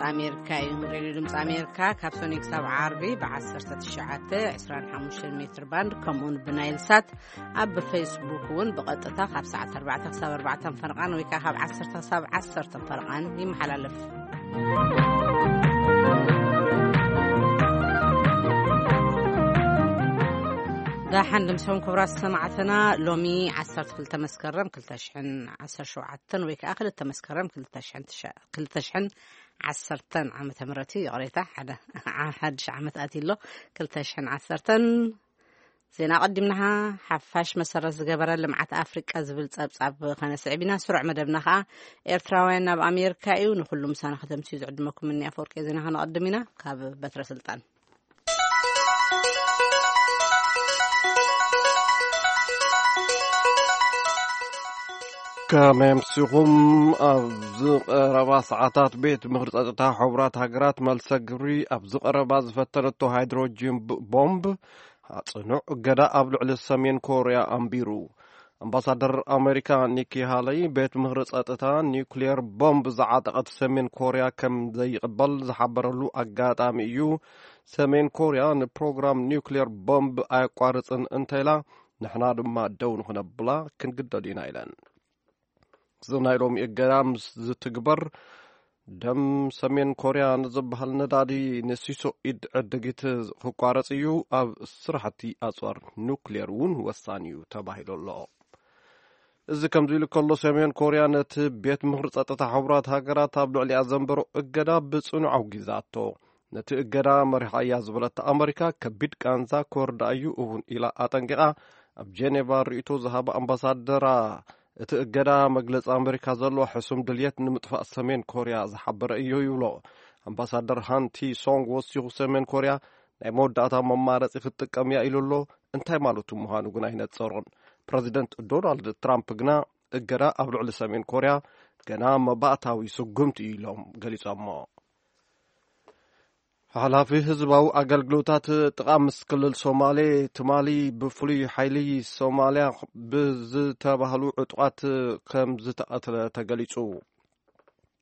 ኣሜሪካ እዩ። ሬድዮ ድምፂ ኣሜሪካ ካብ ሶኒ ክሳብ ዓርቢ ብ19፣ 25 ሜትር ባንድ፣ ከምኡውን ብናይል ሳት፣ ኣብ ፌስቡክ እውን ብቐጥታ ካብ ሰዓት ኣርባዕተ ክሳብ ኣርባዕተ ፈረቓን ወይ ከዓ ካብ ዓሰርተ ክሳብ ዓሰርተ ፈረቓን ይመሓላለፍ። ዳሓን ድምሶም ክብራት ሰማዕትና፣ ሎሚ ዓሰርተ ክልተ መስከረም ክልተ ሽሕን ዓሰርተ ሸውዓተን ወይ ከዓ ክልተ መስከረም ክልተ ሽሕን ትሸ-፣ ክልተ ሽሕን ዓሰርተን ዓመተ ምህረት እዩ። ይቕሬታ፣ ሓደ ሓድሽ ዓመት ኣትዩ ኣሎ። ክልተ ሽሕን ዓሰርተን። ዜና ቀዲምና። ሓፋሽ መሰረት ዝገበረ ልምዓት ኣፍሪቃ ዝብል ጸብጻብ ከነስዕብ ኢና። ስሩዕ መደብና ከኣ ኤርትራውያን ናብ ኣሜሪካ እዩ። ንኹሉ ምሳና ከተምስዩ ዝዕድመኩም እኒ ኣፈወርቂ ዜና ከነቐድም ኢና። ካብ በትረ ስልጣን። ከመይ ኣምሲኹም? ኣብ ዝቐረባ ሰዓታት ቤት ምኽሪ ጸጥታ ሕቡራት ሃገራት መልሰ ግብሪ ኣብ ዝቐረባ ዝፈተነቶ ሃይድሮጅን ብ-፣ ቦምብ ጽኑዕ እገዳ ኣብ ልዕሊ ሰሜን ኮርያ ኣንቢሩ። ኣምባሳደር ኣሜሪካ ኒኪ ሃለይ ቤት ምኽሪ ጸጥታ ኒውክሊየር ቦምብ ዝዓጠቐት ሰሜን ኮርያ ከም ዘይቕበል ዝሓበረሉ ኣጋጣሚ እዩ። ሰሜን ኮርያ ንፕሮግራም ኒውክሊየር ቦምብ ኣየቋርጽን እንተኢላ፣ ንሕና ድማ ደው ንኽነብላ ክንግደድ ኢና ኢለን። እዚ ናይ ሎሚ እገዳ ምስ ዝትግበር፣ ደም ሰሜን ኮርያ ንዝበሃል ነዳዲ ንሲሶ ኢድ ዕድጊት ክቋረጽ እዩ። ኣብ ስራሕቲ ኣጽዋር ኑክሌር እውን ወሳኒ እዩ ተባሂሉ ኣሎ። እዚ ከምዚ ኢሉ ከሎ፣ ሰሜን ኮርያ ነቲ ቤት ምኽሪ ጸጥታ ሕቡራት ሃገራት ኣብ ልዕሊኣ ዘንበሮ እገዳ ብጽኑዕ ኣውጊዛቶ። ነቲ እገዳ መሪሓ እያ ዝበለታ ኣመሪካ፣ ከቢድ ቃንዛ ክወርዳ እዩ እውን ኢላ ኣጠንቂቓ። ኣብ ጄኔቫ ርእይቶ ዝሃባ ኣምባሳደራ፣ እቲ እገዳ መግለጺ ኣመሪካ ዘለዎ ሕሱም ድልየት ንምጥፋእ ሰሜን ኮርያ ዝሓበረ እዩ ይብሎ። ኣምባሳደር ሃንቲ ሶንግ ወሲኹ፣ ሰሜን ኮርያ ናይ መወዳእታ መማረጺ ክትጥቀም እያ ኢሉ ኣሎ። እንታይ ማለቱ ምዃኑ ግን ኣይነጸሮን። ፕረዚደንት ዶናልድ ትራምፕ ግና እገዳ ኣብ ልዕሊ ሰሜን ኮርያ ገና መባእታዊ ስጉምቲ እዩ ኢሎም ገሊጾሞ። ሓላፊ ህዝባዊ ኣገልግሎታት ጥቓ ምስ ክልል ሶማሌ፣ ትማሊ ብፍሉይ ሓይሊ ሶማልያ ብዝተባህሉ ዕጡቓት ከም ዝተቐትለ ተገሊጹ።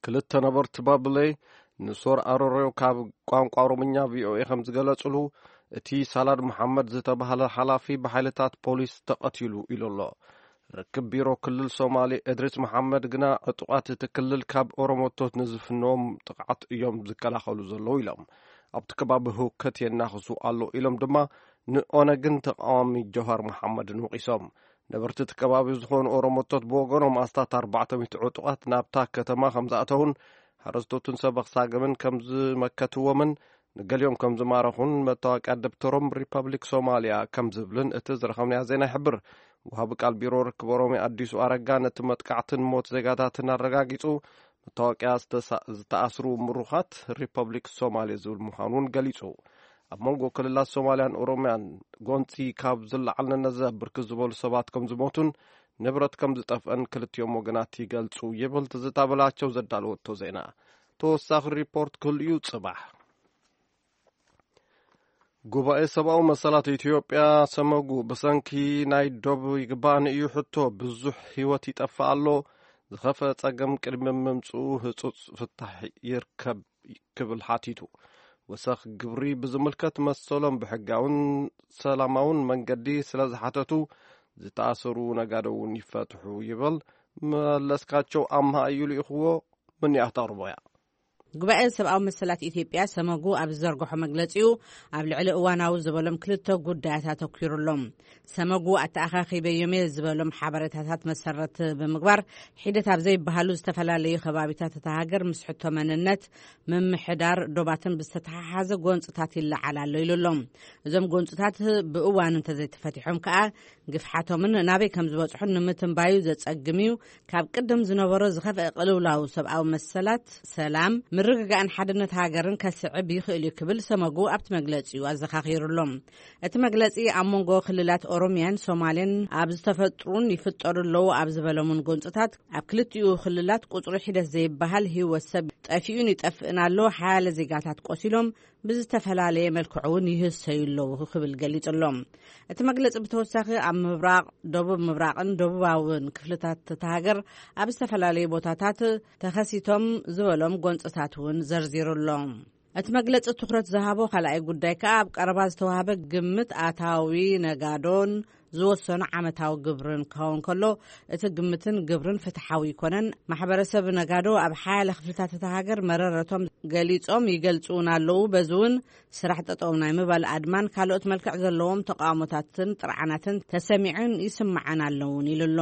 ክልተ ነበርቲ ባብሌ፣ ንሶር ኣሮሬዮ ካብ ቋንቋ ኦሮምኛ ቪኦኤ ከም ዝገለጹሉ፣ እቲ ሳላድ መሓመድ ዝተባህለ ሓላፊ ብሓይልታት ፖሊስ ተቐቲሉ ኢሉ ኣሎ። ርክብ ቢሮ ክልል ሶማሌ እድሪስ መሓመድ ግና፣ ዕጡቓት እቲ ክልል ካብ ኦሮሞቶት ንዝፍንዎም ጥቕዓት እዮም ዝከላኸሉ ዘለዉ ኢሎም። ኣብቲ ከባቢ ህውከት የናኽሱ ኣሎ ኢሎም ድማ ንኦነግን ተቃዋሚ ጀዋር መሓመድን ወቒሶም። ነበርቲ እቲ ከባቢ ዝኾኑ ኦሮሞቶት ብወገኖም፣ ኣስታት ኣርባዕተ ሚእቲ ዕጡቓት ናብታ ከተማ ከም ዝኣተውን፣ ሓረስቶትን ሰብ ኣኽሳግምን ከም ዝመከትዎምን ንገሊኦም ከም ዝማረኹን መታወቂያ ደብተሮም ሪፐብሊክ ሶማልያ ከም ዝብልን እቲ ዝረኸብናዮ ዜና ይሕብር። ወሃቢ ቃል ቢሮ ርክብ ኦሮሚያ ኣዲሱ ኣረጋ፣ ነቲ መጥቃዕትን ሞት ዜጋታትን ኣረጋጊጹ። መታወቂያ ዝተሳ-፣ ዝተኣስሩ ምሩኻት ሪፐብሊክ ሶማሌ ዝብል ምዃኑ እውን ገሊጹ። ኣብ መንጎ ክልላት ሶማልያን ኦሮምያን ጎንጺ ካብ ዝለዓል ነነዘ ብርክት ዝበሉ ሰባት ከም ዝሞቱን ንብረት ከም ዝጠፍአን ክልቲኦም ወገናት ይገልጹ ይብል ትዝታ በላቸው ዘዳለወቶ ዜና። ተወሳኺ ሪፖርት ክህሉ እዩ ጽባሕ። ጉባኤ ሰብኣዊ መሰላት ኢትዮጵያ፣ ሰመጉ፣ ብሰንኪ ናይ ዶብ ይግባእኒ እዩ ሕቶ ብዙሕ ህይወት ይጠፍእ ኣሎ። ዝኸፍአ ጸገም ቅድሚ ምምጽኡ ህጹጽ ፍታሕ ይርከብ ክብል ሓቲቱ። ወሰኽ ግብሪ ብዝምልከት መሰሎም ብሕጋውን ሰላማውን መንገዲ ስለ ዝሓተቱ፣ ዝተኣሰሩ ነጋዶ እውን ይፈትሑ ይብል። መለስካቸው ኣምሃ እዩ ልኢኽዎ። ምንያት ኣርቦያ። ጉባኤ ሰብኣዊ መሰላት ኢትዮጵያ፣ ሰመጉ፣ ኣብ ዝዘርግሖ መግለጺኡ፣ ኣብ ልዕሊ እዋናዊ ዝበሎም ክልተ ጉዳያት ኣተኲሩ ኣሎ። ሰመጉ ኣተኣኻኺበዮም እየ ዝበሎም ሓበሬታታት መሰረት ብምግባር፣ ሒደት ኣብ ዘይበሃሉ ዝተፈላለዩ ከባቢታት እታ ሃገር ምስ ሕቶ መንነት፣ ምምሕዳር ዶባትን ብዝተተሓሓዘ ጎንጽታት ይለዓል ኣሎ ኢሉ ኣሎ። እዞም ጎንጽታት ብእዋኑ እንተዘይተፈቲሖም ከኣ፣ ግፍሓቶምን ናበይ ከም ዝበጽሑን ንምትንባዩ ዘጸግም እዩ። ካብ ቅድም ዝነበሮ ዝኸፍአ ቅልውላው ሰብኣዊ መሰላት፣ ሰላም፣ ምርግጋእን ሓድነት ሃገርን ከስዕብ ይኽእል እዩ ክብል ሰመጉ ኣብቲ መግለጺኡ ኣዘኻኺሩ ኣሎ። እቲ መግለጺ ኣብ መንጎ ክልላት ኦሮሚያን ሶማሌን ኣብ ዝተፈጥሩን ይፍጠሩ ኣለዉ ኣብ ዝበሎምን ጎንጽታት፣ ኣብ ክልቲኡ ክልላት ቁጽሩ ሒደት ዘይበሃል ህይወት ሰብ ጠፊኡን ይጠፍእን ኣሎ፣ ሓያለ ዜጋታት ቆሲሎም፣ ብዝተፈላለየ መልክዑ እውን ይህሰዩ ኣለዉ ክብል ገሊጹ ኣሎ። እቲ መግለጺ ብተወሳኺ ኣብ ምብራቕ፣ ደቡብ ምብራቕን ደቡባውን ክፍልታት እታ ሃገር ኣብ ዝተፈላለዩ ቦታታት ተኸሲቶም ዝበሎም ጎንጽታት እውን ዘርዚሩ ኣሎ። እቲ መግለጺ ትኹረት ዝሃቦ ካልኣይ ጉዳይ ከኣ ኣብ ቀረባ ዝተዋህበ ግምት ኣታዊ ነጋዶን ዝወሰኑ ዓመታዊ ግብርን ክኸውን ከሎ፣ እቲ ግምትን ግብርን ፍትሓዊ ኣይኮነን። ማሕበረሰብ ነጋዶ ኣብ ሓያለ ክፍልታት እታ ሃገር መረረቶም ገሊጾም ይገልጹ እውን ኣለዉ። በዚ እውን ስራሕ ጠጠው ናይ ምባል ኣድማን ካልኦት መልክዕ ዘለዎም ተቃውሞታትን ጥርዓናትን ተሰሚዐን ይስምዓን ኣለውን ኢሉ ኣሎ።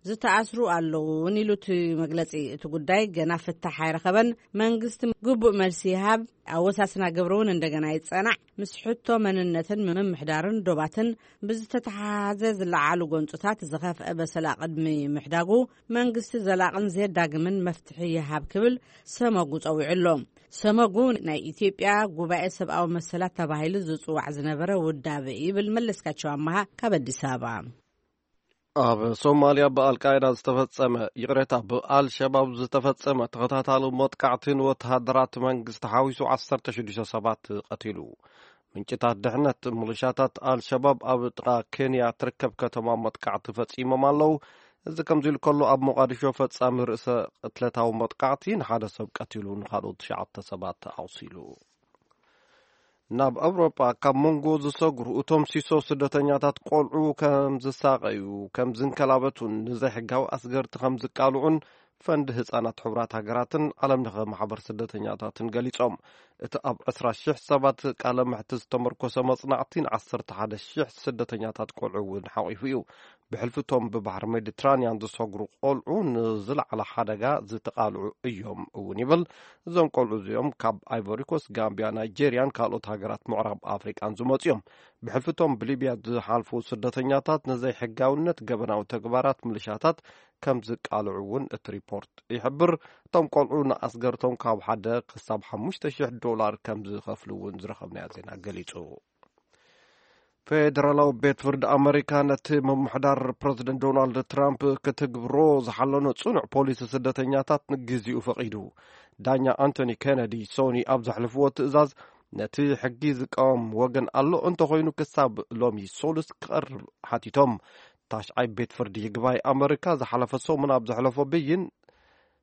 ዝተኣስሩ ኣለዉ እውን ኢሉ እቲ መግለጺ። እቲ ጉዳይ ገና ፍታሕ ኣይረኸበን። መንግስቲ ግቡእ መልሲ ይሃብ፣ ኣወሳስና ግብሪ እውን እንደገና ይጸናዕ። ምስ ሕቶ መንነትን ምምሕዳርን ዶባትን ብዝተተሓሓዘ ዝለዓሉ ጎንጽታት ዝኸፍአ በሰላ ቅድሚ ምሕዳጉ መንግስቲ ዘላቕን ዘየዳግምን መፍትሒ ይሃብ ክብል ሰመጉ ጸዊዑ ኣሎ። ሰመጉ ናይ ኢትዮጵያ ጉባኤ ሰብኣዊ መሰላት ተባሂሉ ዝጽዋዕ ዝነበረ ውዳበ ይብል። መለስካቸው ኣመሃ ካብ ኣዲስ ኣበባ። ኣብ ሶማልያ ብኣልቃይዳ ዝተፈጸመ፣ ይቕሬታ፣ ብኣልሸባብ ዝተፈጸመ ተኸታታሊ መጥቃዕቲ ንወተሃደራት መንግስቲ ሓዊሱ ዓሰርተ ሽዱሽተ ሰባት ቀቲሉ። ምንጭታት ድሕነት፣ ምልሻታት ኣልሸባብ ኣብ ጥቓ ኬንያ ትርከብ ከተማ መጥቃዕቲ ፈጺሞም ኣለዉ። እዚ ከምዚ ኢሉ ከሎ፣ ኣብ ሞቃዲሾ ፈጻሚ ርእሰ ቅትለታዊ መጥቃዕቲ ንሓደ ሰብ ቀቲሉ፣ ንኻልኦት ትሽዓተ ሰባት ኣቑሲሉ። ናብ ኣውሮጳ ካብ መንጎ ዝሰግሩ እቶም ሲሶ ስደተኛታት ቆልዑ ከም ዝሳቐዩ፣ ከም ዝንከላበቱን ንዘይሕጋዊ ኣስገርቲ ከም ዝቃልዑን ፈንድ ህጻናት ሕቡራት ሃገራትን ዓለም ለኸ ማሕበር ስደተኛታትን ገሊጾም። እቲ ኣብ ዕስራ ሽሕ ሰባት ቃለ መሕትት ዝተመርኮሰ መጽናዕቲ ን ዓሰርተ ሓደ ሽሕ ስደተኛታት ቆልዑ እውን ሓቒፉ እዩ። ብሕልፊ እቶም ብባሕሪ ሜዲትራንያን ዝሰግሩ ቆልዑ ንዝለዓለ ሓደጋ ዝተቓልዑ እዮም እውን ይብል። እዞም ቆልዑ እዚኦም ካብ ኣይቮሪኮስ፣ ጋምቢያ፣ ናይጄርያን ካልኦት ሃገራት ምዕራብ ኣፍሪቃን ዝመጹ እዮም። ብሕልፊ እቶም ብሊብያ ዝሓልፉ ስደተኛታት ንዘይሕጋውነት ገበናዊ ተግባራት ምልሻታት ከም ዝቃልዑ እውን እቲ ሪፖርት ይሕብር። እቶም ቆልዑ ንኣስገርቶም ካብ ሓደ ክሳብ ሓሙሽተ ሽሕ ዶላር ከም ዝኸፍሉ እውን ዝረኸብናዮ ዜና ገሊጹ። ፌደራላዊ ቤት ፍርዲ ኣመሪካ ነቲ ምምሕዳር ፕረዚደንት ዶናልድ ትራምፕ ክትግብሮ ዝሓለኖ ጽኑዕ ፖሊሲ ስደተኛታት ንግዜኡ ፈቒዱ። ዳኛ ኣንቶኒ ኬነዲ ሶኒ ኣብ ዘሕልፍዎ ትእዛዝ፣ ነቲ ሕጊ ዝቃወም ወገን ኣሎ እንተኾይኑ ክሳብ ሎሚ ሶሉስ ክቐርብ ሓቲቶም። ታሽዓይ ቤት ፍርዲ ይግባይ ኣመሪካ ዝሓለፈ ሰሙን ኣብ ዘሕለፎ ብይን፣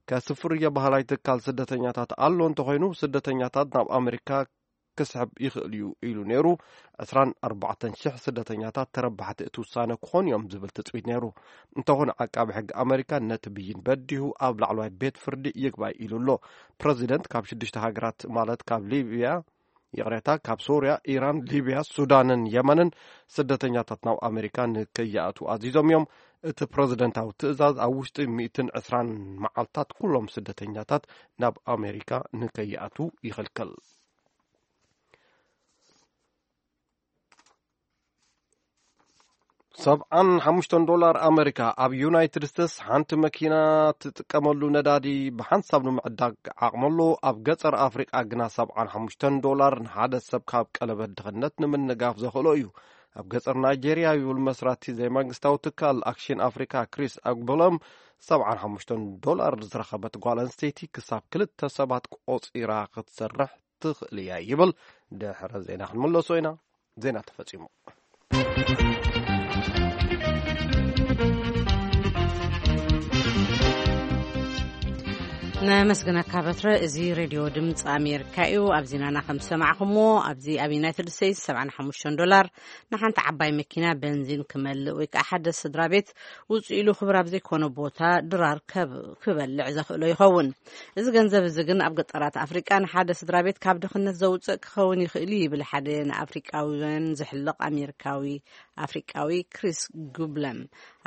ከስፍር እየ በሃላይ ትካል ስደተኛታት ኣሎ እንተኾይኑ፣ ስደተኛታት ናብ ኣመሪካ ክስሕብ ይኽእል እዩ ኢሉ ነይሩ። ዕስራን ኣርባዕተን ሽሕ ስደተኛታት ተረባሕቲ እቲ ውሳነ ክኾኑ እዮም ዝብል ትጽቢት ነይሩ። እንተኾነ፣ ዓቃቢ ሕጊ ኣመሪካ ነቲ ብይን በዲሁ ኣብ ላዕለዋይ ቤት ፍርዲ ይግባይ ኢሉ ኣሎ። ፕረዚደንት ካብ ሽዱሽተ ሃገራት፣ ማለት ካብ ሊብያ፣ ይቕሬታ፣ ካብ ሶርያ፣ ኢራን፣ ሊብያ፣ ሱዳንን የመንን ስደተኛታት ናብ ኣመሪካ ንከይኣትዉ ኣዚዞም እዮም። እቲ ፕረዚደንታዊ ትእዛዝ ኣብ ውሽጢ ሚእትን ዕስራን መዓልታት ኩሎም ስደተኛታት ናብ ኣመሪካ ንከይኣትዉ ይኽልክል። ሰብዓን ሓሙሽተን ዶላር ኣመሪካ። ኣብ ዩናይትድ ስቴትስ ሓንቲ መኪና ትጥቀመሉ ነዳዲ ብሓንሳብ ንምዕዳግ ዓቕሚ ኣሎ። ኣብ ገጠር ኣፍሪቃ ግና ሰብዓን ሓሙሽተን ዶላር ንሓደ ሰብ ካብ ቀለበት ድኽነት ንምንጋፍ ዘኽእሎ እዩ። ኣብ ገጠር ናይጄርያ፣ ይብል መስራቲ ዘይመንግስታዊ ትካል ኣክሽን ኣፍሪካ ክሪስ ኣግቦሎም፣ ሰብዓን ሓሙሽተን ዶላር ዝረኸበት ጓል ኣንስተይቲ ክሳብ ክልተ ሰባት ቆጺራ ክትሰርሕ ትኽእል እያ ይብል። ድሕሪ ዜና ክንምለሶ ኢና። ዜና ተፈጺሙ። ነመስግነካ በትረ። እዚ ሬድዮ ድምፂ ኣሜሪካ እዩ። ኣብ ዜናና ከም ዝሰማዕኹምዎ፣ ኣብዚ ኣብ ዩናይትድ ስቴትስ ሰብዓን ሓሙሽተን ዶላር ንሓንቲ ዓባይ መኪና በንዚን ክመልእ ወይ ከዓ ሓደ ስድራ ቤት ውፅእ ኢሉ ክብር ኣብ ዘይኮነ ቦታ ድራር ከብ-፣ ክበልዕ ዘኽእሎ ይኸውን። እዚ ገንዘብ እዚ ግን ኣብ ገጠራት ኣፍሪቃ ንሓደ ስድራ ቤት ካብ ድኽነት ዘውፅእ ክኸውን ይኽእል እዩ ይብል ሓደ ንኣፍሪቃውያን ዝሕልቕ ኣሜሪካዊ፣ ኣፍሪቃዊ ክሪስ ጉብለም።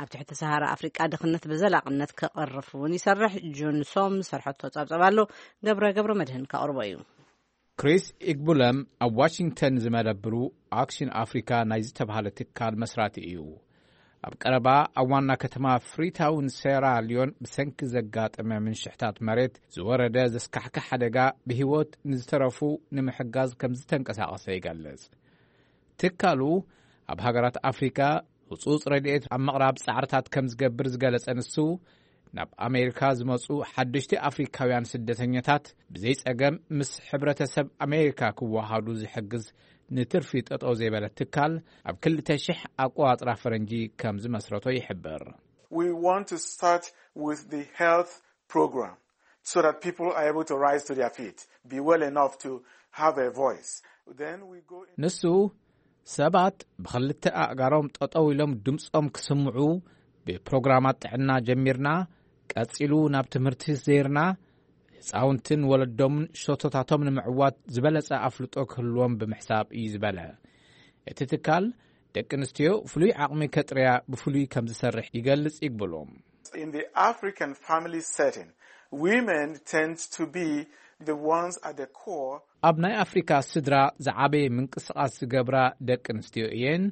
ኣብ ትሕቲ ሰሃራ ኣፍሪቃ ድኽነት ብዘላቕነት ክቐርፍ እውን ይሰርሕ። ጆን ሶም ዝሰርሐቶ ጸብጸብ ኣሎ። ገብረ፣ ገብረ መድህን ከቕርቦ እዩ። ክሪስ ኢግቡለም ኣብ ዋሽንግተን ዝመደብሩ ኣክሽን ኣፍሪካ ናይ ዝተባህለ ትካል መስራቲ እዩ። ኣብ ቀረባ ኣብ ዋና ከተማ ፍሪታውን ሴራ ሊዮን ብሰንኪ ዘጋጠመ ምንሽሕታት መሬት ዝወረደ ዘስካሕክሕ ሓደጋ ብህይወት ንዝተረፉ ንምሕጋዝ ከም ዝተንቀሳቐሰ ይገልጽ። ትካሉ ኣብ ሃገራት ኣፍሪካ ህጹጽ ረድኤት ኣብ ምቕራብ ጻዕርታት ከም ዝገብር ዝገለጸ ንሱ፣ ናብ ኣሜሪካ ዝመጹ ሓደሽቲ ኣፍሪካውያን ስደተኛታት ብዘይጸገም ምስ ሕብረተሰብ ኣሜሪካ ክወሃዱ ዝሕግዝ ንትርፊ ጠጠው ዘይበለ ትካል ኣብ ክልተ ሽሕ ኣቆጻጽራ ፈረንጂ ከም ዝመስረቶ ይሕብር። We want to start with the health program so that people are able to rise to their feet, be well enough to have a voice. Then we go in. ንሱ ሰባት ብኽልተ ኣእጋሮም ጠጠው ኢሎም ድምጾም ክስምዑ ብፕሮግራማት ጥዕና ጀሚርና፣ ቀጺሉ ናብ ትምህርቲ ዘይርና፣ ህፃውንትን ወለዶምን ሸቶታቶም ንምዕዋት ዝበለጸ ኣፍልጦ ክህልዎም ብምሕሳብ እዩ ዝበለ እቲ ትካል። ደቂ ኣንስትዮ ፍሉይ ዓቕሚ ከጥርያ ብፍሉይ ከም ዝሰርሕ ይገልጽ ይግብሉ። In the African family setting, women tend to be the ones at the core. ኣብ ናይ ኣፍሪካ ስድራ ዝዓበየ ምንቅስቓስ ዝገብራ ደቂ ኣንስትዮ እየን።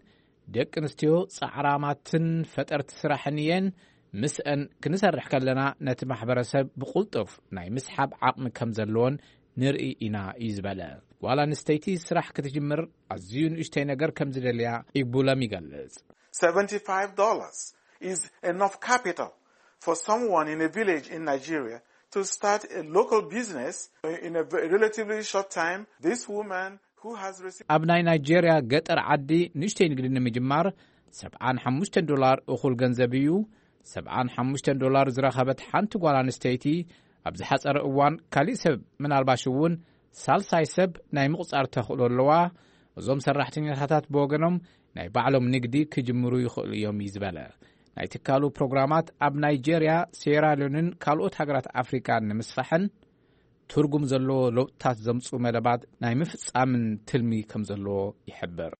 ደቂ ኣንስትዮ ጻዕራማትን ፈጠርቲ ስራሕን እየን። ምስአን ክንሰርሕ ከለና ነቲ ማሕበረሰብ ብቁልጡፍ ናይ ምስሓብ ዓቕሚ ከም ዘለዎን ንርኢ ኢና እዩ ዝበለ። ጓል ኣንስተይቲ ስራሕ ክትጅምር ኣዝዩ ንእሽተይ ነገር ከም ዝደልያ ይግቡሎም ይገልጽ። Seventy-five dollars is enough capital for someone in a village in Nigeria to start a local business in a ve- relatively short time. This woman who has received ኣብ ናይ ናይጄርያ ገጠር ዓዲ ንእሽተይ ንግዲ ንምጅማር ሰብዓን ሓሙሽተን ዶላር እኹል ገንዘብ እዩ። ሰብዓን ሓሙሽተን ዶላር ዝረኸበት ሓንቲ ጓል ኣንስተይቲ ኣብ ዝሓጸረ እዋን ካሊእ ሰብ ምናልባሽ እውን ሳልሳይ ሰብ ናይ ምቑጻር ተኽእሎ ኣለዋ። እዞም ሰራሕተኛታት ብወገኖም ናይ ባዕሎም ንግዲ ክጅምሩ ይኽእሉ እዮም እዩ ዝበለ። ናይ ትካሉ ፕሮግራማት ኣብ ናይጄርያ፣ ሴራሊዮንን ካልኦት ሃገራት ኣፍሪቃን ንምስፋሕን ትርጉም ዘለዎ ለውጥታት ዘምፅኡ መደባት ናይ ምፍፃምን ትልሚ ከም ዘለዎ ይሕብር።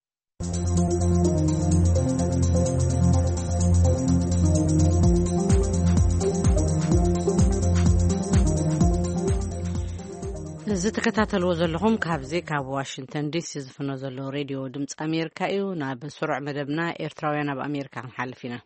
እዚ ትከታተልዎ ዘለኹም ካብዚ ካብ ዋሽንግተን ዲሲ ዝፍኖ ዘሎ ሬድዮ ድምፂ ኣሜሪካ እዩ። ናብ ስሩዕ መደብና ኤርትራውያን ኣብ ኣሜሪካ ክንሓልፍ ኢና።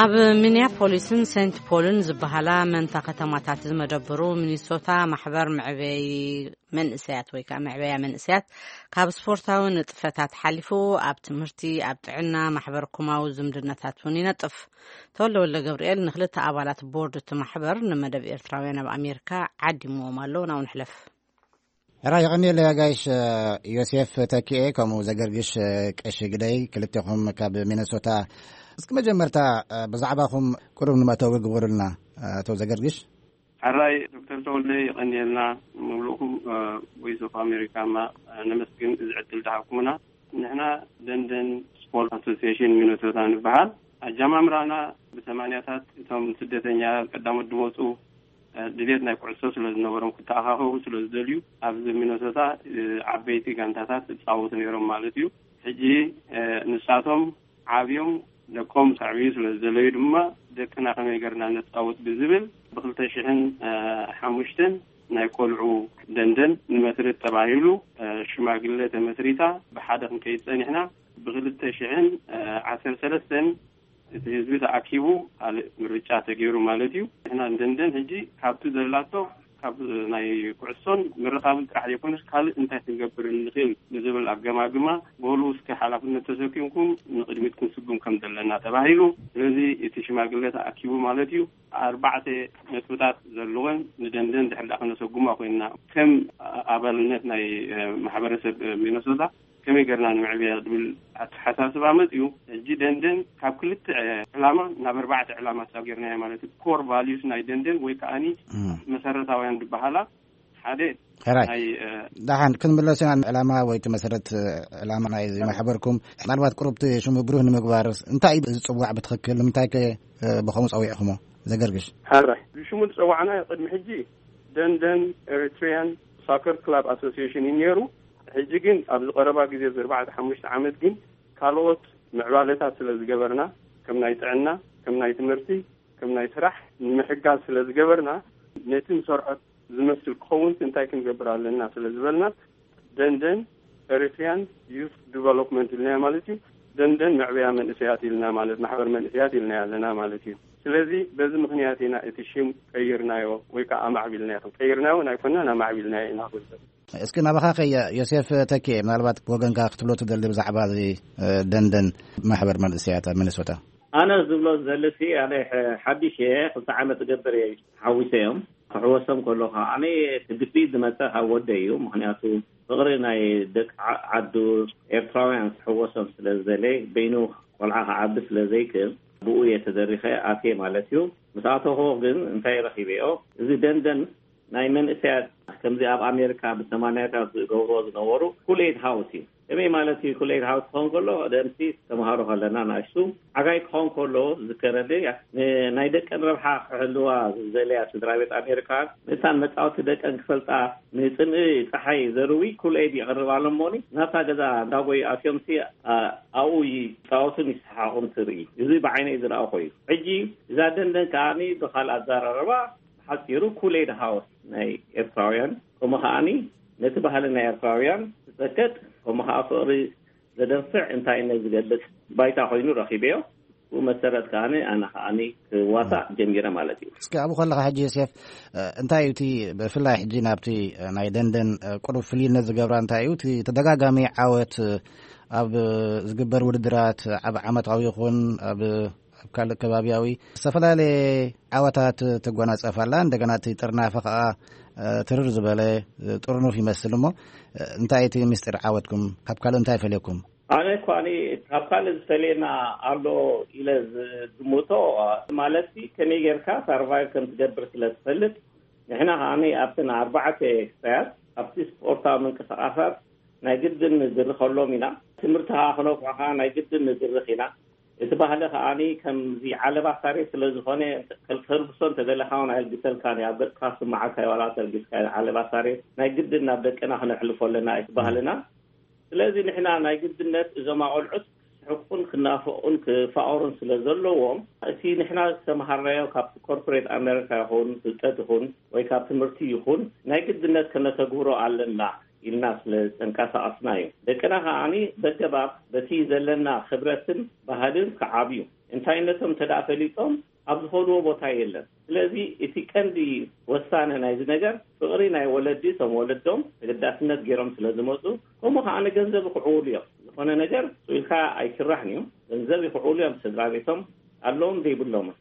ኣብ ሚኒያፖሊስን ሴንት ፖልን ዝበሃላ መንታ ከተማታት ዝመደብሩ ሚኒሶታ ማሕበር መዕበይ መንእሰያት ወይ ከዓ መዕበያ መንእሰያት ካብ ስፖርታዊ ንጥፈታት ሓሊፉ ኣብ ትምህርቲ፣ ኣብ ጥዕና፣ ማሕበር ኮማዊ ዝምድናታት እውን ይነጥፍ። ተወልደ ወልደ ገብርኤል ንክልተ ኣባላት ቦርድ እቲ ማሕበር ንመደብ ኤርትራውያን ኣብ ኣሜሪካ ዓዲምዎም ኣሎ። ናው ንሕለፍ። ሕራ የቐንየለይ ኣጋይሽ ዮሴፍ ተኪኤ ከምኡ ዘገርግሽ ቀሺ ግደይ ክልቴኹም ካብ ሚነሶታ። እስኪ መጀመርታ ብዛዕባኹም ቅሩብ ንመእተዊ ግበሩልና ኣቶ ዘገርግሽ። ሕራይ ዶክተር ተወልደ የቐንየልና። ሙሉእኩም ቮይስ ኦፍ ኣሜሪካ ማ ነመስግን እዚ ዕድል ዝሃብኩምና። ንሕና ደንደን ስፖርት ኣሶሲሽን ሚነሶታ ንበሃል። ኣጀማምራና ብሰማንያታት እቶም ስደተኛ ቀዳሞት ዝመፁ ድሌት ናይ ኩዕሶ ስለ ዝነበሮም ክተኣኻኸቡ ስለ ዝደልዩ ኣብዚ ሚነሶታ ዓበይቲ ጋንታታት ዝፃወቱ ነይሮም ማለት እዩ። ሕጂ ንሳቶም ዓብዮም ደቆም ከዕብዩ ስለ ዝደለዩ ድማ ደቅና ከመይ ገርና ነፃውት ብዝብል ብክልተ ሽሕን ሓሙሽተን ናይ ቆልዑ ደንደን ንመስርት ተባሂሉ ሽማግለ ተመስሪታ ብሓደ ክንከይድ ፀኒሕና። ብክልተ ሽሕን ዓሰርተ ሰለስተን እቲ ህዝቢ ተኣኪቡ ካልእ ምርጫ ተገይሩ ማለት እዩ። ንሕና ንደንደን ሕጂ ካብቲ ዘላቶ ካብ ናይ ኩዕሶን ምርኻብን ጥራሕ ዘይኮነስ ካልእ እንታይ ክንገብር ንኽእል ንዝብል ኣገማግማ በሉ እስከ ሓላፍነት ተሰኪምኩም ንቕድሚት ክንስጉም ከም ዘለና ተባሂሉ። ስለዚ እቲ ሽማግለ ተኣኪቡ ማለት እዩ። ኣርባዕተ ነጥብታት ዘለወን ንደንደን ድሕር ዳኣ ክነሰጉማ ኮይንና ከም ኣባልነት ናይ ማሕበረሰብ ሚነሶታ ከመይ ገርና ንምዕብያ ዝብል ኣተሓሳስባ መፅዩ። ሕጂ ደንደን ካብ ክልተ ዕላማ ናብ ኣርባዕተ ዕላማ ሳብ ገርናዮ ማለት እዩ። ኮር ቫልዩስ ናይ ደንደን ወይ ከዓኒ መሰረታውያን ዝበሃላ ሓደ ሕራይ ናይ ደሓን ክንምለስ ኢና። ዕላማ ወይ እቲ መሰረት ዕላማ ናይ ማሕበርኩም ምናልባት ቅሩብቲ ሽሙ ብሩህ ንምግባር እንታይ እዩ ዝፅዋዕ ብትኽክል ንምንታይ ከ ብኸምኡ ፀዊዕኹሞ ዘገርግሽ? ሕራይ ብሽሙ ዝፀዋዕና ቅድሚ ሕጂ ደንደን ኤሪትሪያን ሳከር ክላብ ኣሶሲሽን እዩ ነይሩ። ሕጂ ግን ኣብዚ ቀረባ ግዜ እዚ ኣርባዕተ ሓሙሽተ ዓመት ግን ካልኦት ምዕባለታት ስለ ዝገበርና ከም ናይ ጥዕና ከም ናይ ትምህርቲ ከም ናይ ስራሕ ንምሕጋዝ ስለ ዝገበርና ነቲ ንሰርሖ ዝመስል ክኸውን እንታይ ክንገብር ኣለና ስለ ዝበልና ደንደን ኤሪትሪያን ዩስ ዲቨሎፕመንት ኢልናዮ ማለት እዩ። ደንደን መዕበያ መንእሰያት ኢልና ማለት ማሕበር መንእሰያት ኢልና ኣለና ማለት እዩ። ስለዚ በዚ ምኽንያት ኢና እቲ ሽም ቀይርናዮ ወይ ከዓ ኣማዕቢልናዮ። ቀይርናዮ ኣይኮናን፣ ኣማዕቢልናዮ ኢና ክብል። እስኪ ናባኻ ከየ ዮሴፍ ተኪኤ፣ ምናልባት ብወገንካ ክትብሎ ትደሊ ብዛዕባ እዚ ደንደን ማሕበር መንእሰያት ኣብ ሚኒሶታ? ኣነ ዝብሎ ዝደሊ ሲ ኣነ ሓዲሽ እየ። ክልተ ዓመት እገብር እየ ሓዊሰ እዮም። ክሕወሶም ከሎ ከዓኒ ግፊት ዝመፀ ካብ ወደ እዩ። ምክንያቱ ፍቕሪ ናይ ደቂ ዓዱ ኤርትራውያን ክሕወሶም ስለ ዝደለ፣ በይኑ ቆልዓ ክዓቢ ስለ ዘይክእል ብኡ እየ ተደሪኸ ኣትየ ማለት እዩ። ምስ ኣተኹ ግን እንታይ ረኺበዮ? እዚ ደንደን ናይ መንእሰያት ከምዚ ኣብ ኣሜሪካ ብሰማንያታት ዝገብርዎ ዝነበሩ ኩሌድ ሃውስ እዩ። ከመይ ማለት እዩ? ኩሌድ ሃውስ ክኸውን ከሎ ደምሲ ተምሃሮ ከለና ንኣሽቱ ዓጋይ ክኸውን ከሎ ዝከረደ ናይ ደቀን ረብሓ ክሕልዋ ዝደለያ ስድራ ቤት ኣሜሪካ ምእንታን መጻወቲ ደቀን ክፈልጣ ንጽምኢ ጸሓይ ዘርዊ ኩሌድ ይቕርባሎም እሞኒ ናብታ ገዛ እንዳጎዩ ኣትዮምሲ ኣብኡ ይጻወቱን ይሰሓቑን ትርኢ። እዚ ብዓይነይ ዝረኣኹ እዩ። ሕጂ እዛ ደንደን ከዓኒ ብኻልእ ኣዘራረባ ሓፂሩ ኩሌድ ሃውስ ናይ ኤርትራውያን ከምኡ ከዓኒ ነቲ ባህሊ ናይ ኤርትራውያን ዝፀቅጥ ከምኡ ከዓ ፍቕሪ ዘደንፍዕ እንታይነት ዝገልፅ ባይታ ኮይኑ ረኪበዮ። ብኡ መሰረት ከዓኒ ኣነ ከዓኒ ክዋሳእ ጀሚረ ማለት እዩ። እስኪ ኣብኡ ከለካ ሕጂ ዮሴፍ እንታይ እዩ እቲ ብፍላይ ሕጂ ናብቲ ናይ ደንደን ቁሩብ ፍልይነት ዝገብራ እንታይ እዩ እቲ ተደጋጋሚ ዓወት ኣብ ዝግበር ውድድራት ኣብ ዓመታዊ ይኹን ኣብ ኣብ ካልእ ከባቢያዊ ዝተፈላለየ ዓወታት ትጎናጸፍ ኣላ። እንደገና እቲ ጥርናፈ ከኣ ትርር ዝበለ ጥርኑፍ ይመስል እሞ እንታይ እቲ ምስጢር ዓወትኩም ካብ ካልእ እንታይ ይፈልየኩም? ኣነ እኳ ካብ ካልእ ዝፈልየና ኣሎ ኢለ ዝግምቶ ማለት ከመይ ጌርካ ሳርቫይቭ ከም ትገብር ስለ ትፈልጥ ንሕና ከዓኒ ኣብተን ኣርባዕተ ክሳያት ኣብቲ ስፖርታዊ ምንቅስቃሳት ናይ ግድን ንድርኸሎም ኢና። ትምህርቲ ከኣ ክነፍዑ ከኣ ናይ ግድን ንድርኽ ኢና። እቲ ባህሊ ከዓኒ ከምዚ ዓለባ ሳሬት ስለ ዝኾነ ከልግሶ እንተደለኻ እውን ኣየልግሰልካን እዩ። ኣብ ገጽካ ክስምዓካ እዩ ዋላ ተልጊስካ እዩ። ዓለባ ሳሬት ናይ ግድን ናብ ደቅና ክነሕልፎ ኣለና እቲ ባህልና። ስለዚ ንሕና ናይ ግድነት እዞም ኣቆልዑት ክስሕቁን ክናፈቑን ክፋቐሩን ስለ ዘለዎም እቲ ንሕና ዝተምሃርናዮ ካብቲ ኮርፖሬት ኣሜሪካ ይኹን ፍልጠት ይኹን ወይ ካብ ትምህርቲ ይኹን ናይ ግድነት ከነተግብሮ ኣለና ኢልና ስለ ዘንቀሳቐስና እዩ። ደቅና ከዓኒ በገባብ በቲ ዘለና ክብረትን ባህልን ክዓብዩ እንታይነቶም እንተ ደኣ ፈሊጦም ኣብ ዝኸድዎ ቦታ የለን። ስለዚ እቲ ቀንዲ ወሳነ ናይዚ ነገር ፍቕሪ ናይ ወለዲ እቶም ወለዶም ተገዳስነት ገይሮም ስለ ዝመፁ ከምኡ ከዓኒ ገንዘብ ይኽዕውሉ እዮም። ዝኾነ ነገር ስኢልካ ኣይስራሕን እዩ። ገንዘብ ይኽዕውሉ እዮም ስድራ ቤቶም ኣለዎም ዘይብሎምን።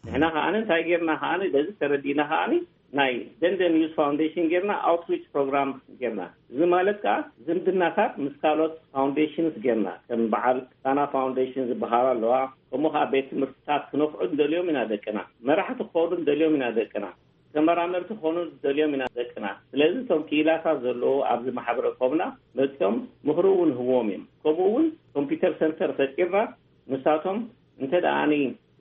ንሕና ከዓኒ እንታይ ጌርና ከዓኒ በዚ ተረዲእና ከዓኒ ናይ ደንደን ዩዝ ፋውንዴሽን ጌርና ኣውትሪች ፕሮግራም ጌርና። እዚ ማለት ከዓ ዝምድናታት ምስ ካልኦት ፋውንዴሽንስ ጌርና ከም በዓል ሳና ፋውንዴሽን ዝበሃሉ ኣለዋ። ከምኡ ከዓ ቤት ትምህርትታት ክነፍዑ ንደልዮም ኢና ደቅና። መራሕቲ ክኾኑ ንደልዮም ኢና ደቅና። ተመራመርቲ ክኾኑ ንደልዮም ኢና ደቅና። ስለዚ እቶም ክኢላታት ዘለዉ ኣብዚ ማሕበረ ኮምና መፅኦም ምኽሪ እውን ንህቦም እዮም። ከምኡ እውን ኮምፒውተር ሰንተር ፈጢርና ንሳቶም እንተ ደኣኒ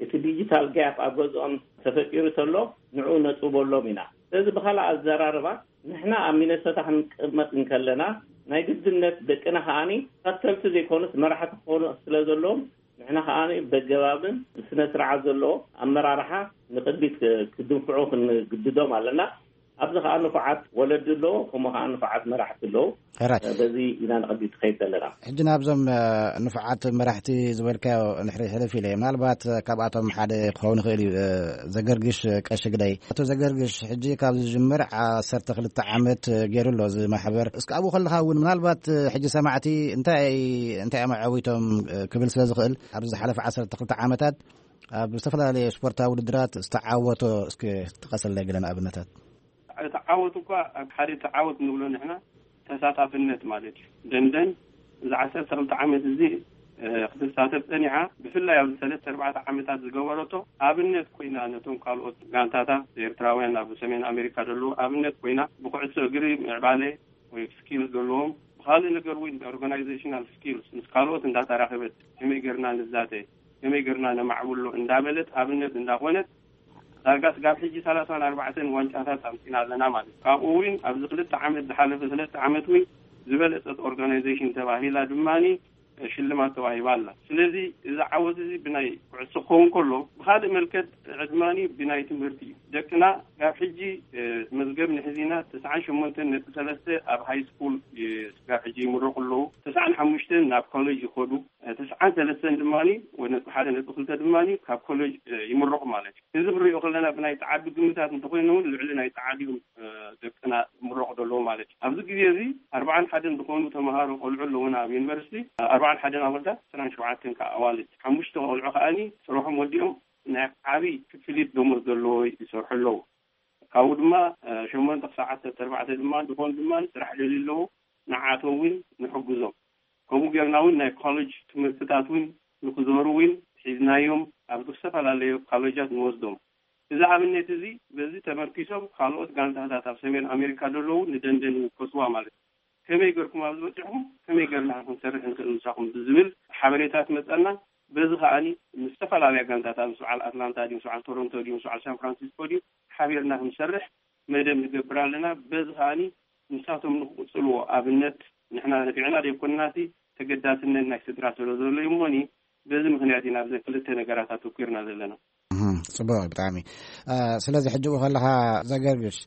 እቲ ዲጂታል ጋፕ ኣብ ገዝኦም ተፈጢሩ ተሎ ንዕኡ ነጥበሎም ኢና። ስለዚ ብኻልእ ኣዘራርባ ንሕና ኣብ ሚነሶታ ክንቅመጥ እንከለና ናይ ግድነት ደቅና ከዓኒ ተኸተልቲ ዘይኮኑስ መራሕቲ ክኾኑ ስለ ዘለዎም ንሕና ከዓኒ በገባብን ስነ ስርዓት ዘለዎ ኣመራርሓ ንቅድሚት ክድንፍዑ ክንግድዶም ኣለና። ኣብዚ ከዓ ንፉዓት ወለዲ ኣለዎ፣ ከምኡ ከዓ ንፉዓት መራሕቲ ኣለዎ። ሕራይ። በዚ ኢና ንቅድሚት ትኸይድ ዘለና። ሕጂ ናብዞም ንፉዓት መራሕቲ ዝበልካዮ ንሕሪ ሕልፍ ኢለ ምናልባት ካብኣቶም ሓደ ክኸውን ይኽእል እዩ። ዘገርግሽ ቀሺ ግዳይ፣ ኣቶ ዘገርግሽ ሕጂ ካብ ዝጅምር ዓሰርተ ክልተ ዓመት ገይሩ ኣሎ እዚ ማሕበር። እስኪ ኣብኡ ከለኻ እውን ምናልባት ሕጂ ሰማዕቲ እንታይ እንታይ እዮም ኣዐዊቶም ክብል ስለ ዝኽእል ኣብዚ ዝሓለፈ ዓሰርተ ክልተ ዓመታት ኣብ ዝተፈላለየ ስፖርታዊ ውድድራት ዝተዓወቶ እስኪ ጥቀሰለይ ገለ ንኣብነታት። እቲ ዓወት እኳ ኣብ ሓደ እቲ ዓወት ንብሎ ንሕና ተሳታፍነት ማለት እዩ። ደንደን እዚ ዓሰርተ ክልተ ዓመት እዚ ክትሳተፍ ጸኒዓ። ብፍላይ ኣብዚ ሰለስተ ኣርባዕተ ዓመታት ዝገበረቶ ኣብነት ኮይና ነቶም ካልኦት ጋንታታት ኤርትራውያን ኣብ ሰሜን ኣሜሪካ ዘለዉ ኣብነት ኮይና ብኩዕሶ እግሪ ምዕባለ ወይ ስኪል ዘለዎም ብካልእ ነገር እውን ኦርጋናይዜሽናል ስኪልስ ምስ ካልኦት እንዳተራኸበት ከመይ ጌርና ንዛተ ከመይ ጌርና ነማዕብሎ እንዳበለት ኣብነት እንዳኾነት ዳርጋ ስጋብ ሕጂ ሰላሳን ኣርባዕተን ዋንጫታት ኣምፂና ኣለና ማለት እዩ። ካብኡ እውን ኣብዚ ክልተ ዓመት ዝሓለፈ ክልተ ዓመት እውን ዝበለፀት ኦርጋናይዜሽን ተባሂላ ድማኒ ሽልማት ተዋሂባ ኣላ። ስለዚ እዚ ዓወት እዚ ብናይ ኩዕሶ ክኸውን ከሎ፣ ብኻልእ መልከት ዕድማኒ ብናይ ትምህርቲ እዩ። ደቅና ካብ ሕጂ መዝገብ ንሕዚና ተስዓን ሸሞንተን ነጥቢ ሰለስተ ኣብ ሃይ ስኩል ካብ ሕጂ ይምረቑ ኣለዉ። ተስዓን ሓሙሽተን ናብ ኮሌጅ ይኸዱ። ተስዓን ሰለስተን ድማ፣ ወይ ነጥቢ ሓደ ነጥቢ ክልተ ድማ፣ ካብ ኮሌጅ ይምረቑ ማለት እዩ። እዚ ክንሪኦ ከለና ብናይ ጸዓዱ ግምታት እንተኾይኑ እውን ልዕሊ ናይ ጸዓዱ እዮም ደቅና ዝምረቑ ዘለዉ ማለት እዩ። ኣብዚ ግዜ እዚ ኣርባዓን ሓደን ዝኾኑ ተምሃሮ ቆልዑ ኣለዉና ኣብ ዩኒቨርሲቲ። ኣርባዓን ሓደን ኣወዳት፣ ዕስራን ሸውዓተን ከዓ ኣዋልድ። ሓሙሽተ ቆልዑ ከዓኒ ስርሖም ወዲኦም ናይ ዓብይ ክፍሊት ደሞዝ ዘለዎ ይሰርሑ ኣለዉ። ካብኡ ድማ ሸሞንተ ክሳብ ዓሰርተ ኣርባዕተ ድማ ዝኾኑ ድማ ስራሕ ደልዩ ኣለዉ። ንዓቶም እውን ንሕግዞም። ከምኡ ጌርና እውን ናይ ኮሌጅ ትምህርትታት እውን ንክዞሩ እውን ሒዝናዮም ኣብ ዝተፈላለዩ ኮሌጃት ንወስዶም። እዚ ኣብነት እዚ በዚ ተመርኪሶም ካልኦት ጋንታታት ኣብ ሰሜን ኣሜሪካ ዘለዉ ንደንደን ይውከስዋ ማለት እዩ። ከመይ ገርኩም ኣብዚ በፂሕኩም፣ ከመይ ገርና ክንሰርሕ ንኽእል ምሳኹም ብዝብል ሓበሬታ ትመፀና። በዚ ከዓኒ ምስ ዝተፈላለያ ጋንታታት ምስ በዓል ኣትላንታ ድዩ፣ ምስ በዓል ቶሮንቶ ድዩ፣ ምስ በዓል ሳን ፍራንሲስኮ ድዩ ሓቢርና ክንሰርሕ መደብ ንገብር ኣለና። በዚ ከዓኒ ንሳቶም ንክቕፅልዎ ኣብነት ንሕና ነፊዕና ዘይኮንናሲ ተገዳስነት ናይ ስድራ ስለ ዘሎ እዩ እሞኒ በዚ ምክንያት ኢና ኣብዘን ክልተ ነገራት ኣተኪርና ዘለና። እህም፣ ጽቡቕ ብጣዕሚ። እ፣ ስለዚ ሕጂ ብኡ ከለኻ ዘገርግሽ፣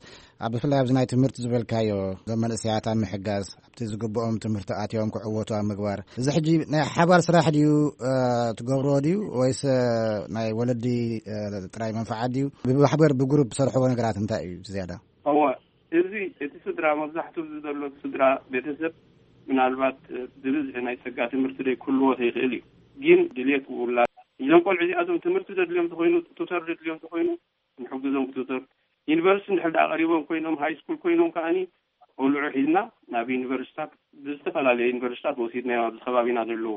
ኣብ፣ ብፍላይ ኣብዚ ናይ ትምህርቲ ዝበልካዮ፣ እዞም መንእሰያት ኣብ ምሕጋዝ፣ ኣብቲ ዝግብኦም ትምህርቲ ኣትዮም ክዕወቱ ኣብ ምግባር፣ እዚ ሕጂ ናይ ሓባር ስራሕ ድዩ፣ እ፣ ትገብርዎ ድዩ ወይስ፣ እ፣ ናይ ወለዲ፣ እ፣ ጥራይ መንፈዓት ድዩ? ብማሕበር ብግሩፕ ትሰርሕዎ ነገራት እንታይ እዩ እቲ ዝያዳ? እወ፣ እዚ እቲ ስድራ፣ መብዛሕትኡ እዚ ዘሎ ስድራ ቤተሰብ ምናልባት ብብዝሒ ናይ ጸጋ ትምህርቲ ዘይክህልዎ ይኽእል እዩ። ግን ድልየት ውላድ፣ እዞም ቆልዑ እዚኣቶም ትምህርቲ ዘድልዮም ተኾይኑ፣ ቱተር ዘድልዮም ተኾይኑ፣ ንሕግዞም ብቱተር። ዩኒቨርሲቲ እንድሕር ደኣ ቀሪቦም ኮይኖም፣ ሃይ ስኩል ኮይኖም ከኣኒ ቆልዑ ሒዝና ናብ ዩኒቨርሲታት፣ ብዝተፈላለየ ዩኒቨርሲታት ወሲድናዮም ኣብዚ ከባቢና ዘለዉ።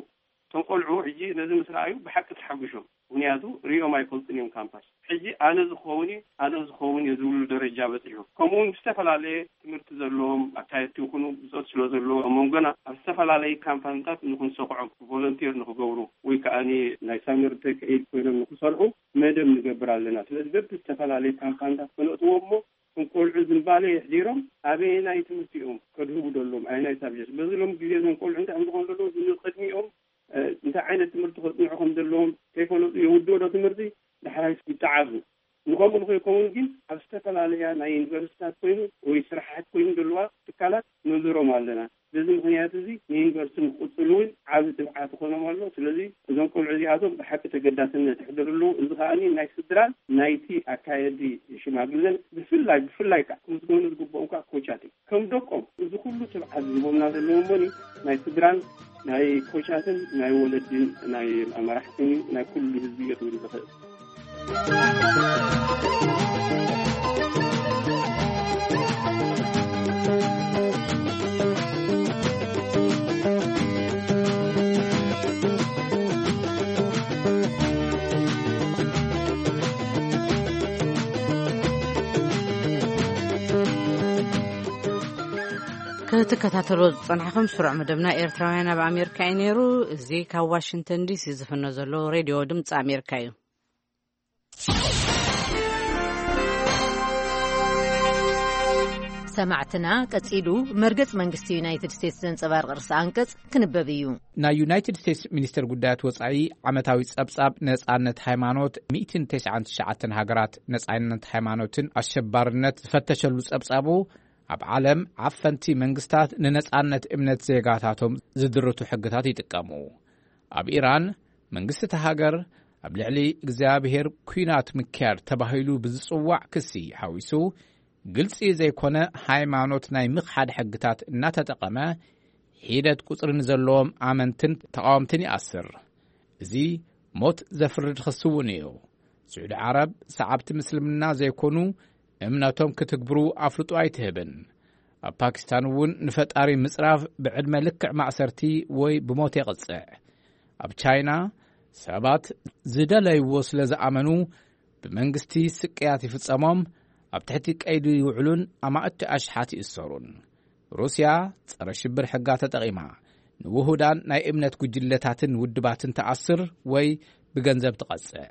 እቶም ቆልዑ ሕጂ ነዚ ምስ ረኣዩ ብሓቂ ተሓጒሶም። ምኽንያቱ ሪኦም ኣይፈልጡን እዮም ካምፓስ። ሕጂ ኣነ ዝኸውን እዩ፣ ኣነ ዝኸውን እየ ዝብሉ ደረጃ በጺሑ። ከምኡ እውን ዝተፈላለየ ትምህርቲ ዘለዎም ኣካየድቲ ይኹኑ ብጾት ስለ ዘለዎ፣ ኣብ መንጎና ኣብ ዝተፈላለየ ካምፓኒታት ንኽንሰኽዖም፣ ቮለንቲር ንኽገብሩ ወይ ከኣ ናይ ሳመር ኢንተርንሺፕ ኮይኖም ንኽሰርሑ መደብ ንገብር ኣለና። ስለዚ በብዝተፈላለየ ካምፓኒታት ከነእትዎም እሞ እቶም ቆልዑ ዝንባሌ የሕዲሮም ኣበየናይ ትምህርቲ እዮም ከድህቡ ዘለዎም፣ ኣየናይ ሳብጀክት። በዚ ሎም ግዜ እዞም ቆልዑ እንታይ እዮም ዝኾኑ ዘለዉ? ንቕድሚኦም እ፣ እንታይ ዓይነት ትምህርቲ ከጽንዑ ከም ዘለዎም ከይፈለጡ የውድኡ ዶ ትምህርቲ? ዳሕራይስ ይጠዓሱ። ንኸምኡ ንኸይከውን ግን ኣብ ዝተፈላለያ ናይ ዩኒቨርሲታት ኮይኑ ወይ ስራሓት ኮይኑ ዘለዋ ትካላት ንዝሮም ኣለና። በዚ ምኽንያት እዚ ንዩኒቨርሲቲ ንክቕጽሉ እውን ዓቢ ትብዓት ይኾኖም ኣሎ። ስለዚ እዞም ቆልዑ እዚኣቶም ብሓቂ ተገዳስነት የሕድሩ ኣለዉ። እዚ ከኣ ናይ ስድራን ናይቲ ኣካየዲ ሽማግለን ብፍላይ፣ ብፍላይ ከዓ ክምስገኑ ዝግብኦም ከዓ ኮቻት እዮም። ከም ደቆም እዚ ኩሉ ትብዓት ዝህቦምና ዘለዉ እሞኒ ናይ ስድራን ናይ ኮቻትን ናይ ወለድን ናይ ኣመራሕትን ናይ ኩሉ ህዝቢ እየ ክብል ዝኽእል። ክትከታተሎ ዝጸናሕኹም ስሩዕ መደብና ኤርትራውያን ኣብ ኣሜሪካ እዩ ነይሩ። እዚ ካብ ዋሽንግተን ዲሲ ዝፍኖ ዘሎ ሬድዮ ድምፂ ኣሜሪካ እዩ። ሰማዕትና፣ ቀጺሉ መርገጽ መንግስቲ ዩናይትድ ስቴትስ ዘንጸባርቕ ርእሰ ኣንቀጽ ክንበብ እዩ። ናይ ዩናይትድ ስቴትስ ሚኒስተር ጉዳያት ወጻኢ ዓመታዊ ጸብጻብ ነጻነት ሃይማኖት ሚእትን ተስዓን ትሽዓተን ሃገራት ነጻነት ሃይማኖትን ኣሸባርነት ዝፈተሸሉ ጸብጻቡ፣ ኣብ ዓለም ዓፈንቲ መንግስታት ንነጻነት እምነት ዜጋታቶም ዝድርቱ ሕግታት ይጥቀሙ። ኣብ ኢራን፣ መንግስቲ እታ ሃገር ኣብ ልዕሊ እግዚኣብሔር ኲናት ምክያድ ተባሂሉ ብዝጽዋዕ ክሲ ሓዊሱ፣ ግልጺ ዘይኮነ ሃይማኖት ናይ ምኽሓድ ሕግታት እናተጠቐመ፣ ሒደት ቁጽሪ ንዘለዎም ኣመንትን ተቓወምትን ይኣስር። እዚ ሞት ዘፍርድ ክሲ እውን እዩ። ስዑዲ ዓረብ፣ ሰዓብቲ ምስልምና ዘይኮኑ እምነቶም ክትግብሩ ኣፍልጦ ኣይትህብን። ኣብ ፓኪስታን እውን ንፈጣሪ ምጽራፍ ብዕድመ ልክዕ ማእሰርቲ ወይ ብሞት የቕጽዕ። ኣብ ቻይና፣ ሰባት ዝደለይዎ ስለ ዝኣመኑ፣ ብመንግስቲ ስቅያት ይፍጸሞም፣ ኣብ ትሕቲ ቀይዲ ይውዕሉን ኣማእቲ ኣሽሓት ይእሰሩን። ሩስያ ጸረ ሽብር ሕጋ ተጠቒማ፣ ንውሁዳን ናይ እምነት ጉጅለታትን ውድባትን ትኣስር ወይ ብገንዘብ ትቐጽዕ።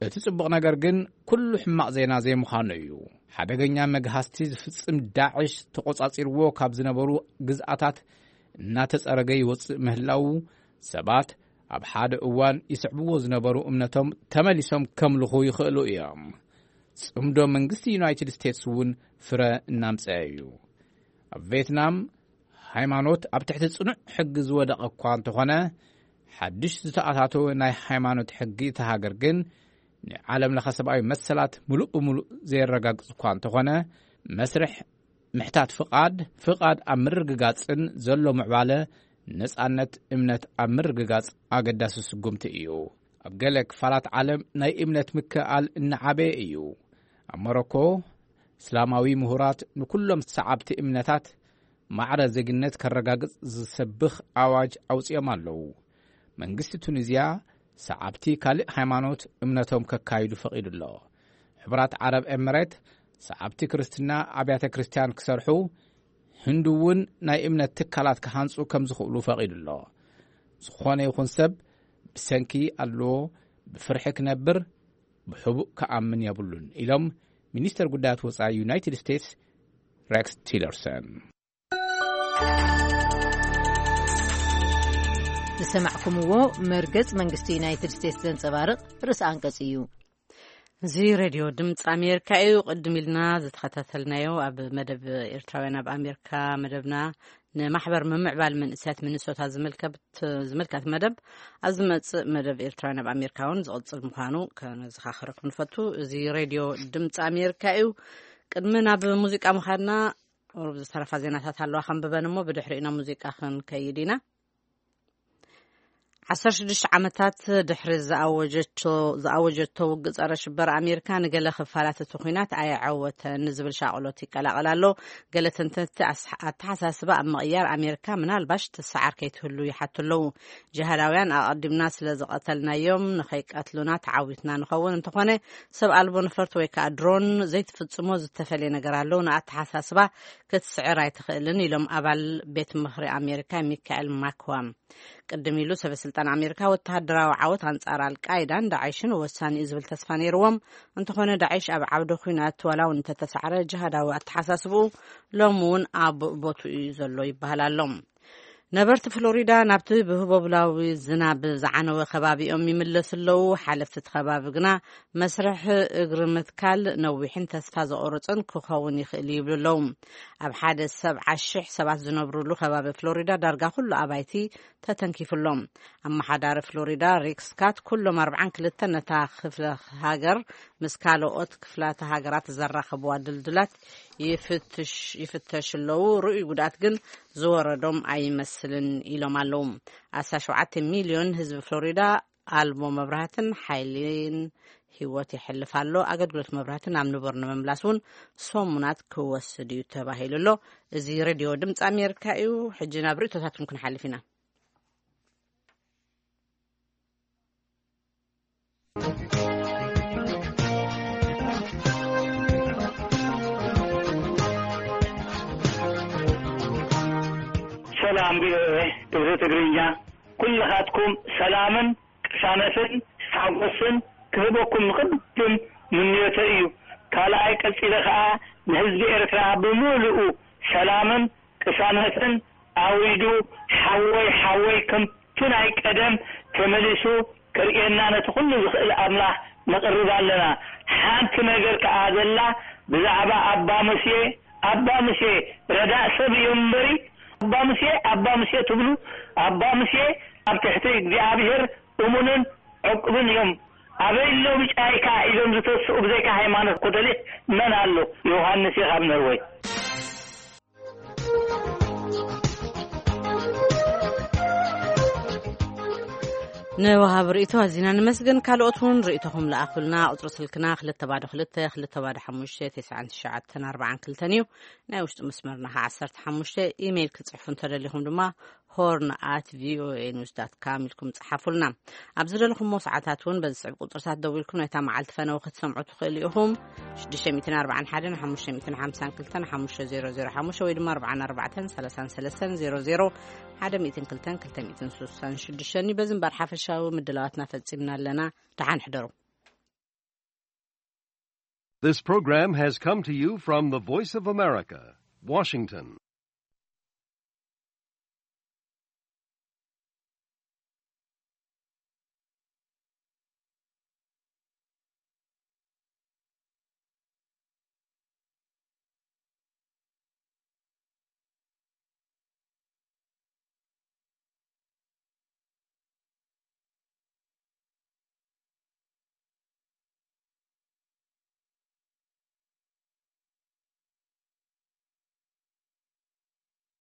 እቲ ጽቡቕ ነገር ግን፣ ኩሉ ሕማቕ ዜና ዘይምዃኑ እዩ። ሓደገኛ መግሃስቲ ዝፍጽም ዳዕሽ፣ ተቖጻጺርዎ ካብ ዝነበሩ ግዝኣታት እናተጸረገ ይወጽእ ምህላዉ ሰባት ኣብ ሓደ እዋን ይስዕብዎ ዝነበሩ እምነቶም ተመሊሶም ከምልኹ ይኽእሉ እዮም። ጽምዶ መንግስቲ ዩናይትድ ስቴትስ እውን ፍረ እናምጸአ እዩ። ኣብ ቬትናም ሃይማኖት ኣብ ትሕቲ ጽኑዕ ሕጊ ዝወደቐ እኳ እንተኾነ፣ ሓድሽ ዝተኣታተወ ናይ ሃይማኖት ሕጊ እታ ሃገር ግን ንዓለም ለኸ ሰብኣዊ መሰላት ምሉእ ብምሉእ ዘየረጋግጽ እኳ እንተኾነ፣ መስርሕ ምሕታት ፍቓድ፣ ፍቓድ ኣብ ምርግጋጽን ዘሎ ምዕባለ ነጻነት እምነት ኣብ ምርግጋጽ ኣገዳሲ ስጉምቲ እዩ። ኣብ ገለ ክፋላት ዓለም ናይ እምነት ምክእኣል እናዓበየ እዩ። ኣብ ሞሮኮ፣ እስላማዊ ምሁራት ንኩሎም ሰዓብቲ እምነታት ማዕረ ዜግነት ከረጋግጽ ዝሰብኽ ኣዋጅ ኣውጺኦም ኣለዉ። መንግስቲ ቱኒዝያ ሰዓብቲ ካልእ ሃይማኖት እምነቶም ከካይዱ ፈቒዱ ኣሎ። ሕቡራት ዓረብ ኤምሬት ሰዓብቲ ክርስትና ኣብያተ ክርስቲያን ክሰርሑ፣ ህንዲ እውን ናይ እምነት ትካላት ክሃንጹ ከም ዝኽእሉ ፈቒዱ ኣሎ። ዝኾነ ይኹን ሰብ ብሰንኪ ኣለዎ ብፍርሒ ክነብር፣ ብሕቡእ ክኣምን የብሉን ኢሎም ሚኒስተር ጉዳያት ወጻኢ ዩናይትድ ስቴትስ ሬክስ ቲለርሰን። ዝሰማዕኩምዎ መርገጽ መንግስቲ ዩናይትድ ስቴትስ ዘንጸባርቕ ርእሲ ኣንቀጽ እዩ። እዚ ሬድዮ ድምፂ ኣሜሪካ እዩ። ቅድም ኢልና ዝተኸታተልናዮ ኣብ መደብ ኤርትራውያን ኣብ ኣሜሪካ መደብና ንማሕበር ምምዕባል መንእሰያት ሚኒሶታ ዝምልከት ዝምልከት መደብ ኣብ ዝመጽእ መደብ ኤርትራውያን ኣብ ኣሜሪካ እውን ዝቕጽል ምዃኑ ከነዘኻኽረኩም ንፈቱ። እዚ ሬድዮ ድምፂ ኣሜሪካ እዩ። ቅድሚ ናብ ሙዚቃ ምዃድና ቁሩብ ዝተረፋ ዜናታት ኣለዋ ከንብበን እሞ ብድሕሪኡ ናብ ሙዚቃ ክንከይድ ኢና። ዓሰርተ ሽዱሽተ ዓመታት ድሕሪ ዝኣወጀቶ ዝኣወጀቶ ውግእ ጸረ ሽበራ ኣሜሪካ ንገለ ክፋላት እቲ ኲናት ኣየዐወተን ዝብል ሻቕሎት ይቀላቐል ኣሎ። ገለ ተንተንቲ ኣስ- ኣተሓሳስባ ኣብ ምቕያር ኣሜሪካ ምናልባሽ ትሰዓር ከይትህሉ ይሓቱ ኣለዉ። ጅሃዳውያን ኣቐዲምና ስለ ዝቐተልናዮም ንኸይቀትሉና ተዓዊትና ንኸውን፣ እንተኾነ ሰብ ኣልቦ ነፈርቲ ወይ ከኣ ድሮን ዘይትፍጽሞ ዝተፈልየ ነገር ኣሎ። ንኣተሓሳስባ ክትስዕር ኣይትኽእልን ኢሎም ኣባል ቤት ምኽሪ ኣሜሪካ ሚካኤል ማክዋም። ቅድም ኢሉ ሰበ ስልጣን ኣሜሪካ ወተሃደራዊ ዓወት ኣንጻር ኣልቃይዳን ዳዕሽን ወሳኒ እዩ ዝብል ተስፋ ነይርዎም። እንተኾነ ዳዕሽ ኣብ ዓውደ ኲናት ዋላ እውን እንተተሳዕረ ጅሃዳዊ ኣተሓሳስብኡ ሎም እውን ኣብ ቦትኡ እዩ ዘሎ ይበሃል ኣሎ። ነበርቲ ፍሎሪዳ ናብቲ ብህቦብላዊ ዝናብ ዝዓነወ ከባቢኦም ይምለሱ ኣለዉ። ሓለፍቲ እቲ ከባቢ ግና መስርሕ እግሪ ምትካል ነዊሕን ተስፋ ዘቑርጽን ክኸውን ይኽእል ይብሉ ኣለዉ። ኣብ ሓደ ሰብዓ ሽሕ ሰባት ዝነብሩሉ ከባቢ ፍሎሪዳ ዳርጋ ኩሉ ኣባይቲ ተተንኪፉሎም። ኣመሓዳሪ ፍሎሪዳ ሪክ ስካት ኩሎም ኣርብዓን ክልተን ነታ ክፍለ ሃገር ምስ ካልኦት ክፍላተ ሃገራት ዘራኸብዋ ድልድላት ይፍትሽ ይፍተሽ ኣለዉ። ርኡይ ጉድኣት ግን ዝወረዶም ኣይመስልን ኢሎም ኣለዉ። ኣስታት ሸውዓተ ሚልዮን ህዝቢ ፍሎሪዳ ኣልቦ መብራህትን ሓይሊን ህይወት የሕልፍ ኣሎ። ኣገልግሎት መብራህትን ኣብ ንቡር ንምምላስ እውን ሰሙናት ክወስድ እዩ ተባሂሉ ኣሎ። እዚ ሬድዮ ድምፂ ኣሜሪካ እዩ። ሕጂ ናብ ርእቶታትኩም ክንሓልፍ ኢና። ሰላም ቪኦኤ፣ እዚ ትግርኛ ኩልኻትኩም ሰላምን ቅሳነትን ሓጎስን ክህበኩም ንቕድም ምንዮተ እዩ። ካልኣይ ቀጺለ ኸኣ ንህዝቢ ኤርትራ ብምሉኡ ሰላምን ቅሳነትን ኣውሪዱ ሓወይ ሓወይ ከምቲ ናይ ቀደም ተመሊሱ ከርእየና ነቲ ኩሉ ዝኽእል ኣምላኽ ነቕርብ ኣለና። ሓንቲ ነገር ከኣ ዘላ ብዛዕባ ኣባ ሙሴ፣ ኣባ ሙሴ ረዳእ ሰብ እዩ እምበሪ፣ ኣባ ሙሴ ኣባ ሙሴ ትብሉ፣ ኣባ ሙሴ ኣብ ትሕቲ እግዚኣብሔር እሙንን ዕቁብን እዮም። ኣበይ ኣሎ ብጫይካ ኢሎም ዝተስኡ ብዘይካ ሃይማኖት ኮቶሊክ መን ኣሎ? ዮሃንስ እዩ ካብ ነርወይ። ንወሃቢ ርእይቶ ኣዚና ንመስግን። ካልኦት እውን ርእይቶኹም ለኣኹልና። ቁጽሪ ስልክና ክልተ ባዶ ክልተ ክልተ ባዶ ሓሙሽተ ተስዓን ትሽዓተን ኣርባዓን ክልተን እዩ። ናይ ውሽጢ መስመርና ከኣ ዓሰርተ ሓሙሽተ። ኢሜይል ክትጽሕፉ እንተደሊኹም ድማ ሆርን ኣት ቪኦኤ ኒውስ ዳት ካም ኢልኩም ጸሓፉልና። ኣብ ዝደለኹምዎ ሰዓታት እውን በዚ ስዕብ ቁጽርታት ደዊልኩም ናይታ መዓልቲ ፈነወ ክትሰምዑ ትኽእሉ ኢኹም። ሽዱሽተ ሚእትን ኣርባዓን ሓደን ሓሙሽተ ሚእትን ሓምሳን ክልተን ሓሙሽተ ዜሮ ዜሮ ሓሙሽተ ወይ ድማ ኣርባዓን ኣርባዕተን ሰላሳን ሰለስተን ዜሮ ዜሮ ሓደ ሚእትን ክልተን ክልተ ሚእትን ስሳን ሽዱሽተን እዩ። በዚ እምበር ሓፈሻዊ ምድላዋትና ፈጺምና ኣለና። ደሓን ሕደሩ። This program has come to you from the Voice of America, Washington.